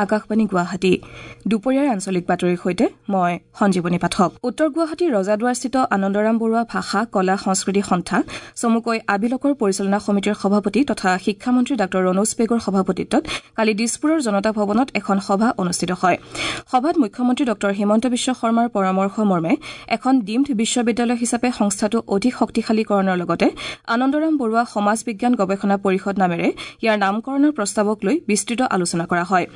আকাশবাণী গুৱাহাটী। দুপৰীয়াৰ আঞ্চলিক বাতৰিৰ সৈতে মই সঞ্জীৱনী পাঠক। উত্তৰ গুৱাহাটীৰ ৰজাদুৱাৰস্থিত আনন্দৰাম বৰুৱা ভাষা কলা সংস্কৃতি সন্থা চমুকৈ আবিলকৰ পৰিচালনা সমিতিৰ সভাপতি তথা শিক্ষামন্ত্ৰী ডাঃ ৰণোজ পেগুৰ সভাপতিত্বত কালি দিছপুৰৰ জনতা ভৱনত এখন সভা অনুষ্ঠিত হয়। সভাত মুখ্যমন্ত্ৰী ডাঃ হিমন্ত বিশ্ব শৰ্মাৰ পৰামৰ্শ মৰ্মে এখন ডিমড বিশ্ববিদ্যালয় হিচাপে সংস্থাটো অধিক শক্তিশালীকৰণৰ লগতে আনন্দৰাম বৰুৱা সমাজ বিজ্ঞান গৱেষণা পৰিষদ নামেৰে ইয়াৰ নামকৰণৰ প্ৰস্তাৱক লৈ বিস্তৃত আলোচনা কৰা হয়।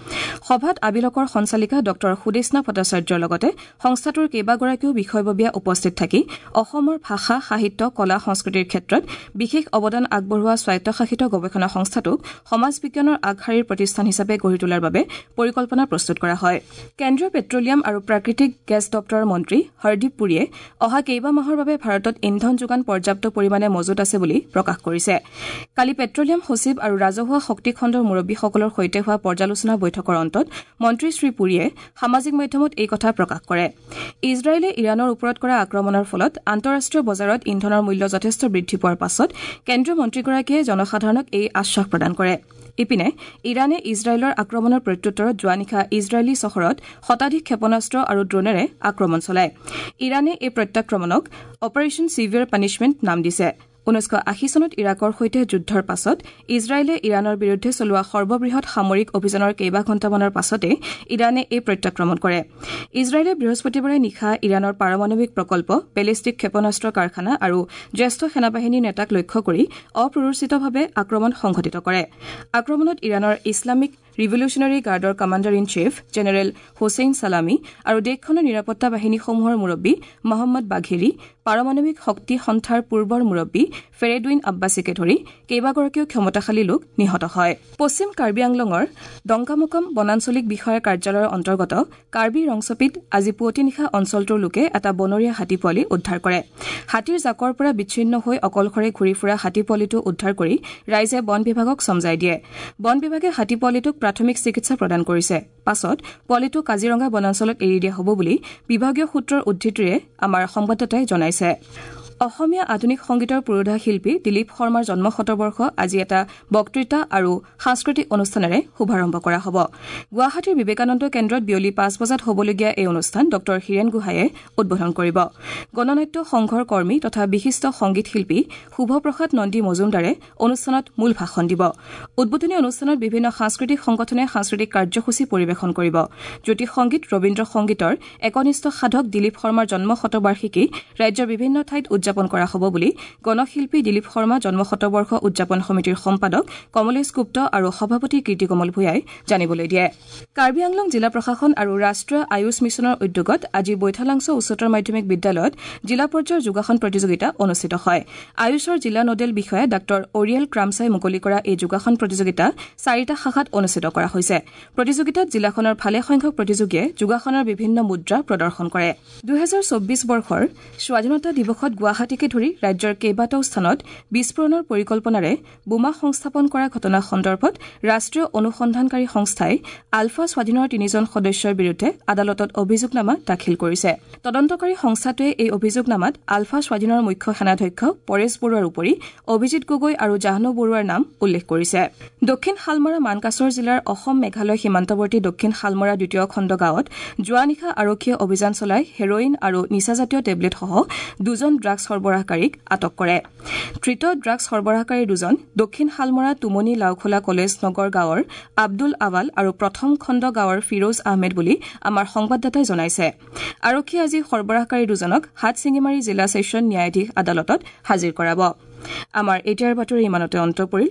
সভাত আবিলকৰ সঞ্চালিকা ডাঃ সুদেষ্ণা ভট্টাচাৰ্যৰ লগতে সংস্থাটোৰ কেইবাগৰাকীও বিষয়ববীয়া উপস্থিত থাকি অসমৰ ভাষা, সাহিত্য, কলা, সংস্কৃতিৰ ক্ষেত্ৰত বিশেষ অৱদান আগবঢ়োৱা স্বায়ত্তশাসিত গৱেষণা সংস্থাটোক সমাজ বিজ্ঞানৰ আগশাৰীৰ প্ৰতিষ্ঠান হিচাপে গঢ়ি তোলাৰ বাবে পৰিকল্পনা প্ৰস্তুত কৰা হয়। কেন্দ্ৰীয় পেট্ৰলিয়াম আৰু প্ৰাকৃতিক গেছ দপ্তৰৰ মন্ত্ৰী হৰদীপ পুৰীয়ে অহা কেইবামাহৰ বাবে ভাৰতত ইন্ধন যোগান পৰ্যাপ্ত পৰিমাণে মজুত আছে বুলি প্ৰকাশ কৰিছে। কালি পেট্ৰলিয়াম সচিব আৰু ৰাজহুৱা শক্তি খণ্ডৰ মুৰব্বীসকলৰ সৈতে হোৱা পৰ্যালোচনা বৈঠকৰ অন্তত মন্ত্ৰী শ্ৰী পুৰীয়ে সামাজিক মাধ্যমত এই কথা প্ৰকাশ কৰে। ইজৰাইলে ইৰাণৰ ওপৰত কৰা আক্ৰমণৰ ফলত আন্তঃৰাষ্ট্ৰীয় বজাৰত ইন্ধনৰ মূল্য যথেষ্ট বৃদ্ধি পোৱাৰ পাছত কেন্দ্ৰীয় মন্ত্ৰীগৰাকীয়ে জনসাধাৰণক এই আশ্বাস প্ৰদান কৰে। ইপিনে ইৰাণে ইজৰাইলৰ আক্ৰমণৰ প্ৰত্যুত্তৰত যোৱা নিশা ইজৰাইলী চহৰত শতাধিক ক্ষেপণাস্ত্ৰ আৰু ড্ৰোনেৰে আক্ৰমণ চলায়। ইৰাণে এই প্ৰত্যাক্ৰমণক অপাৰেশ্যন চিভিয়াৰ পানিছমেণ্ট নাম দিছে। 1980 চনত ইৰাকৰ সৈতে যুদ্ধৰ পাছত ইজৰাইলে ইৰাণৰ বিৰুদ্ধে চলোৱা সৰ্ববৃহৎ সামৰিক অভিযানৰ কেইবাঘণ্টামানৰ পাছতে ইৰাণে এই প্ৰত্যাক্ৰমণ কৰে। ইজৰাইলে বৃহস্পতিবাৰে নিশা ইৰাণৰ পাৰমাণৱিক প্ৰকল্প, বেলিষ্টিক ক্ষেপণাস্ত্ৰ কাৰখানা আৰু জ্যেষ্ঠ সেনাবাহিনীৰ নেতাক লক্ষ্য কৰি অপ্ৰৰোচিতভাৱে আক্ৰমণ সংঘটিত কৰে। আক্ৰমণত ইৰাণৰ ইছলামিক ৰিভলিউচনাৰী গাৰ্ডৰ commander in chief general Hossein Salami আৰু দেশখনৰ নিৰাপত্তা বাহিনীসমূহৰ মুৰব্বী মহম্মদ বাঘেৰী, পাৰমাণৱিক শক্তি সন্থাৰ পূৰ্বৰ মুৰব্বী ফেৰেডুইন আব্বাছীকে ধৰি কেইবাগৰাকীও ক্ষমতাশালী লোক নিহত হয়। পশ্চিম কাৰ্বি আংলঙৰ ডংকামোকাম বনাঞ্চলিক বিষয়াৰ কাৰ্যালয়ৰ অন্তৰ্গত কাৰ্বি ৰংচপিত আজি পুৱতি নিশা অঞ্চলটোৰ লোকে এটা বনৰীয়া হাতী পোৱালি উদ্ধাৰ কৰে। হাতীৰ জাকৰ পৰা বিচ্ছিন্ন হৈ অকলশৰে ঘূৰি ফুৰা হাতী পোৱালিটো উদ্ধাৰ কৰি ৰাইজে বন বিভাগক চমজাই দিয়ে। বন বিভাগে হাতী পোৱালিটোক প্ৰাথমিক চিকিৎসা প্ৰদান কৰিছে। পাছত পোৱালিটো কাজিৰঙা বনাঞ্চলত এৰি দিয়া হ'ব বুলি বিভাগীয় সূত্ৰৰ উদ্ধৃতিৰে আমাৰ সংবাদদাতাই জনাইছে। অসমীয়া আধুনিক সংগীতৰ পুৰোধা শিল্পী দিলীপ শৰ্মাৰ জন্ম শতবৰ্ষ আজি এটা বক্তৃতা আৰু সাংস্কৃতিক অনুষ্ঠানেৰে শুভাৰম্ভ কৰা হ'ব। গুৱাহাটীৰ বিবেকানন্দ কেন্দ্ৰত বিয়লি 5 বজাত হ'বলগীয়া এই অনুষ্ঠান ডঃ হীৰেণ গোহাঁয়ে উদ্বোধন কৰিব। গণনাট্য সংঘৰ কৰ্মী তথা বিশিষ্ট সংগীত শিল্পী শুভপ্ৰসাদ নন্দী মজুমদাৰে অনুষ্ঠানত মূল ভাষণ দিব। উদ্বোধনী অনুষ্ঠানত বিভিন্ন সাংস্কৃতিক সংগঠনে সাংস্কৃতিক কাৰ্যসূচী পৰিৱেশন কৰিব। জ্যোতি সংগীত, ৰবীন্দ্ৰ সংগীতৰ একনিষ্ঠ সাধক দিলীপ শৰ্মাৰ জন্ম শতবাৰ্ষিকী ৰাজ্যৰ বিভিন্ন ঠাইত উদযাপন কৰা হ'ব বুলি গণশিল্পী দিলীপ শৰ্মা জন্ম শতবৰ্ষ উদযাপন সমিতিৰ সম্পাদক কমলেশ গুপ্ত আৰু সভাপতি কীৰ্তিকমল ভূঞাই জানিবলৈ দিয়ে। কাৰ্বি আংলং জিলা প্ৰশাসন আৰু ৰাষ্ট্ৰীয় আয়ুষ মিছনৰ উদ্যোগত আজি বৈঠালাংছ উচ্চতৰ মাধ্যমিক বিদ্যালয়ত জিলা পৰ্যায়ৰ যোগাসন প্ৰতিযোগিতা অনুষ্ঠিত হয়। আয়ুষৰ জিলা নোডেল বিষয়া ডাঃ অৰিয়েল ক্ৰামছাই মুকলি কৰা এই যোগাসন প্ৰতিযোগিতা 4টা শাখাত অনুষ্ঠিত কৰা হৈছে। প্ৰতিযোগিতাত জিলাখনৰ ভালেসংখ্যক প্ৰতিযোগীয়ে যোগাসনৰ বিভিন্ন মুদ্ৰা প্ৰদৰ্শন কৰে। 2024 বৰ্ষৰ স্বাধীনতা দিৱসত গুৱাহাটীকে ধৰি ৰাজ্যৰ কেইবাটাও স্থানত বিস্ফোৰণৰ পৰিকল্পনাৰে বোমা সংস্থাপন কৰা ঘটনা সন্দৰ্ভত ৰাষ্ট্ৰীয় অনুসন্ধানকাৰী সংস্থাই আলফা স্বাধীনৰ 3জন সদস্যৰ বিৰুদ্ধে আদালতত অভিযোগনামা দাখিল কৰিছে। তদন্তকাৰী সংস্থাটোৱে এই অভিযোগনামাত আলফা স্বাধীনৰ মুখ্য সেনাধ্যক্ষ পৰেশ বৰুৱাৰ উপৰি অভিজিৎ গগৈ আৰু জাহ্নু বৰুৱাৰ নাম উল্লেখ কৰিছে। দক্ষিণ শালমৰা মানকাচৰ জিলাৰ অসম মেঘালয় সীমান্তৱৰ্তী দক্ষিণ শালমৰা দ্বিতীয় খণ্ড গাঁৱত যোৱা নিশা আৰক্ষীয়ে অভিযান চলাই হেৰইন আৰু নিচাজাতীয় টেবলেটসহ 2জন ড্ৰাগছ সৰবৰাহকাৰীক আটক কৰে। ধৃত ড্ৰাগছ সৰবৰাহকাৰী 2জন দক্ষিণ শালমৰা টুমনি লাওখোলা কলেজ নগৰ গাঁৱৰ আব্দুল আৱাল আৰু প্ৰথম খণ্ড গাঁৱৰ ফিৰোজ আহমেদ বুলি আমাৰ সংবাদদাতাই জনাইছে। আৰক্ষীয়ে আজি সৰবৰাহকাৰী 2জনক হাটশিঙিমাৰী জিলা ছেছন ন্যায়াধীশ আদালতত হাজিৰ কৰাব। আমাৰ এতিয়াৰ বাতৰি ইমানতে অন্ত পৰিল।